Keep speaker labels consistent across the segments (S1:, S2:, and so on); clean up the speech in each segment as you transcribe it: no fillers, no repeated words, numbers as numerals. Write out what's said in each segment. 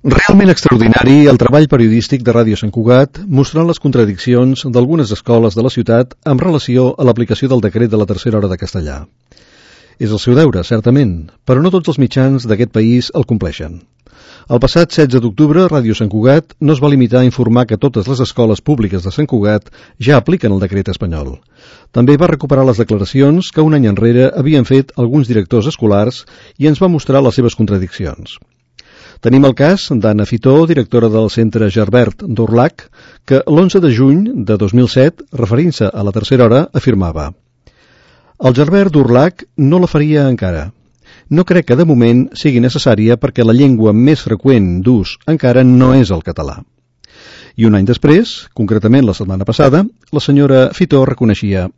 S1: Realment extraordinari el treball periodístic de Ràdio Sant Cugat mostrant les contradiccions d'algunes escoles de la ciutat amb relació a l'aplicació del decret de la tercera hora de castellà. És el seu deure, certament, però no tots els mitjans d'aquest país el compleixen. El passat 16 d'octubre, Ràdio Sant Cugat no es va limitar a informar que totes les escoles públiques de Sant Cugat ja apliquen el decret espanyol. També va recuperar les declaracions que un any enrere havien fet alguns directors escolars i ens va mostrar les seves contradiccions. Tenim el cas d'Anna Fitó, directora del Centre Gerbert d'Urlac, que l'11 de juny de 2007, referint-se a la tercera hora, afirmava: «El Gerbert d'Urlac no la faria encara. No crec que de moment sigui necessària perquè la llengua més freqüent d'ús encara no és el català». I un any després, concretament la setmana passada, la senyora Fitó reconeixia: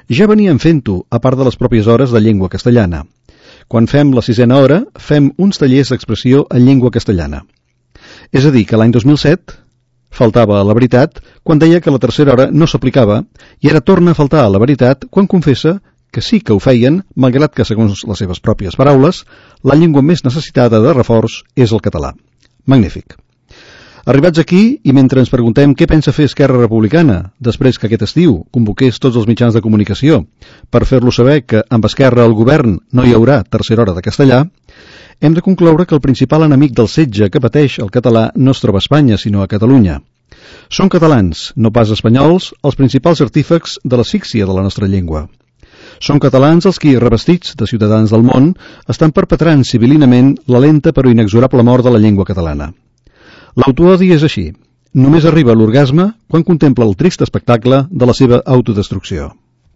S1: «Ja veníem fent-ho, a part de les pròpies hores de llengua castellana. Quan fem la 6a hora, fem uns tallers d'expressió en llengua castellana». És a dir, que l'any 2007 faltava a la veritat quan deia que la tercera hora no s'aplicava i ara torna a faltar a la veritat quan confessa que sí que ho feien, malgrat que, segons les seves pròpies paraules, la llengua més necessitada de reforç és el català. Magnífic. Arribats aquí, i mentre ens preguntem què pensa fer Esquerra Republicana després que aquest estiu convoqués tots els mitjans de comunicació per fer-lo saber que amb Esquerra al govern no hi haurà tercera hora de castellà, hem de concloure que el principal enemic del setge que pateix el català no es troba a Espanya, sinó a Catalunya. Són catalans, no pas espanyols, els principals artífecs de l'asfíxia de la nostra llengua. Són catalans els qui, revestits de ciutadans del món, estan perpetrant civilinament la lenta però inexorable mort de la llengua catalana. L'autoodi és així. Només arriba a l'orgasme quan contempla el trist espectacle de la seva autodestrucció.